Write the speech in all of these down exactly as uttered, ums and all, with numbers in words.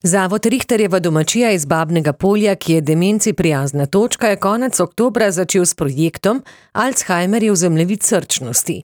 Zavod Richterjeva domačija iz Babnega Polja, ki je demenci prijazna točka, je konec oktobra začel s projektom Alzheimerjev zemljevid srčnosti.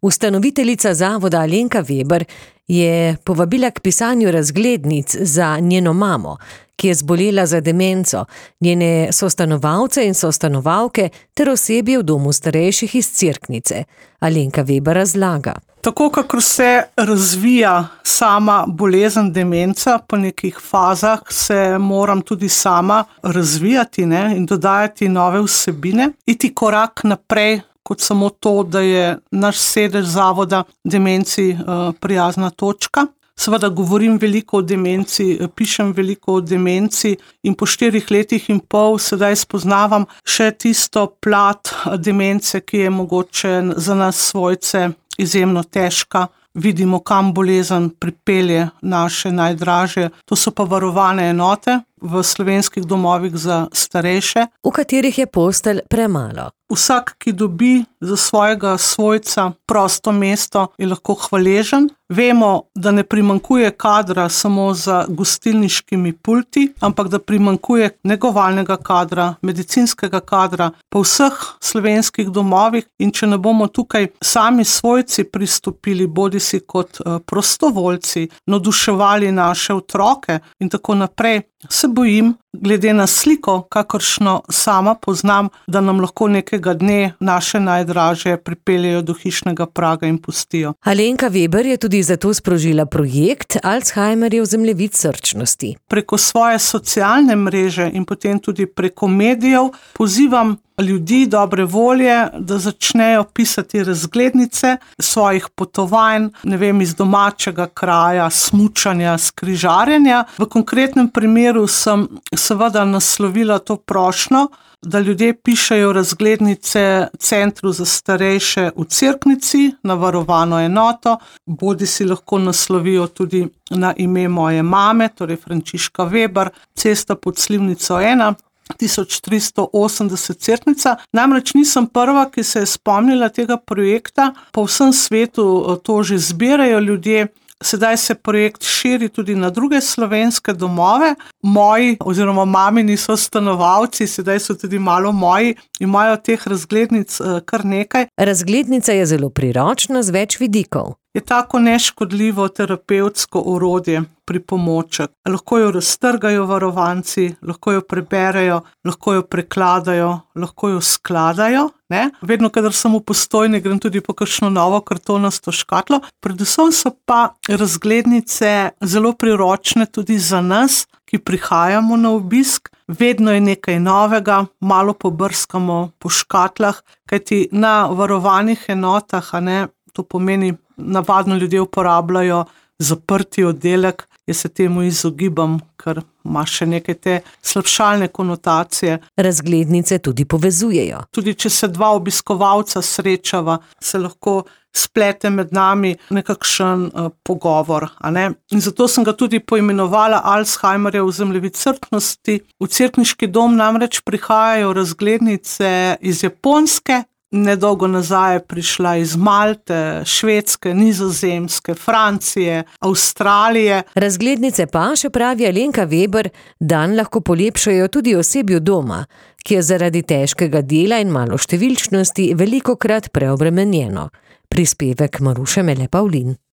Ustanoviteljica zavoda Alenka Veber je povabila k pisanju razglednic za njeno mamo, ki je zbolela za demenco, njene sostanovalce in sostanovalke ter osebje v domu starejših iz Cerknice. Alenka Veber razlaga. Tako, kakor se razvija sama bolezen demenca po nekih fazah, se moram tudi sama razvijati, ne, in dodajati nove vsebine, iti korak naprej, kot samo to, da je naš sedež zavoda demenci uh, prijazna točka. Seveda govorim veliko o demenci, pišem veliko o demenci in po štirih letih in pol sedaj spoznavam še tisto plat demence, ki je mogoče za nas svojce izjemno težka. Vidimo, kam bolezen pripelje naše najdražje. To so pa varovane enote v slovenskih domovih za starejše, v katerih je postelj premalo. Vsak, ki dobi za svojega svojca prosto mesto, je lahko hvaležen. Vemo, da ne primanjkuje kadra samo za gostilniškimi pulti, ampak da primanjkuje negovalnega kadra, medicinskega kadra po vseh slovenskih domovih, in če ne bomo tukaj sami svojci pristopili, bodisi kot prostovoljci, navduševali naše otroke in tako naprej, se bojim, glede na sliko, kakršno sama poznam, da nam lahko nekega dne naše najdražje pripeljejo do hišnega praga in pustijo. Alenka Veber je tudi zato sprožila projekt Alzheimerjev zemljevid srčnosti. Preko svoje socialne mreže in potem tudi preko medijev pozivam ljudi dobre volje, da začnejo pisati razglednice svojih potovanj, ne vem, iz domačega kraja, smučanja, skrižarjenja. V konkretnem primeru sem seveda naslovila to prošnjo, da ljudje pišejo razglednice Centru za starejše v Cerknici na varovano enoto, bodi si lahko naslovijo tudi na ime moje mame, torej Frančiška Veber, Cesta pod Slivnico ena, tisoč tristo osemdeset Cerknica. Namreč nisem prva, ki se je spomnila tega projekta, po vsem svetu to že zbirajo ljudje. Sedaj se projekt širi tudi na druge slovenske domove. Moji oziroma mamini sostanovalci, sedaj so tudi malo moji, imajo teh razglednic kar nekaj. Razglednica je zelo priročna z več vidikov. Je tako neškodljivo terapevtsko orodje, pripomoček. Lahko jo raztrgajo varovanci, lahko jo preberejo, lahko jo prekladajo, lahko jo skladajo. Ne? Vedno, kadar sem v Postojni, grem tudi po kakšno novo kartonasto škatlo. Predvsem so pa razglednice zelo priročne tudi za nas, ki prihajamo na obisk. Vedno je nekaj novega, malo pobrskamo po škatlah, kajti na varovanih enotah, a ne, to pomeni, navadno ljudje uporabljajo zaprti oddelek, jaz se temu izogibam, ker ima še nekaj te slabšalne konotacije. Razglednice tudi povezujejo. Tudi če se dva obiskovalca srečava, se lahko splete med nami nekakšen uh, pogovor. A ne? In zato sem ga tudi poimenovala Alzheimerjev zemljevid srčnosti. V Cerkniški dom namreč prihajajo razglednice iz Japonske, nedolgo nazaj je prišla iz Malte, Švedske, Nizozemske, Francije, Avstralije. Razglednice pa, še pravi Alenka Veber, dan lahko polepšajo tudi osebju doma, ki je zaradi težkega dela in maloštevilčnosti velikokrat preobremenjeno. Prispevek Maruše Mele Pavlin.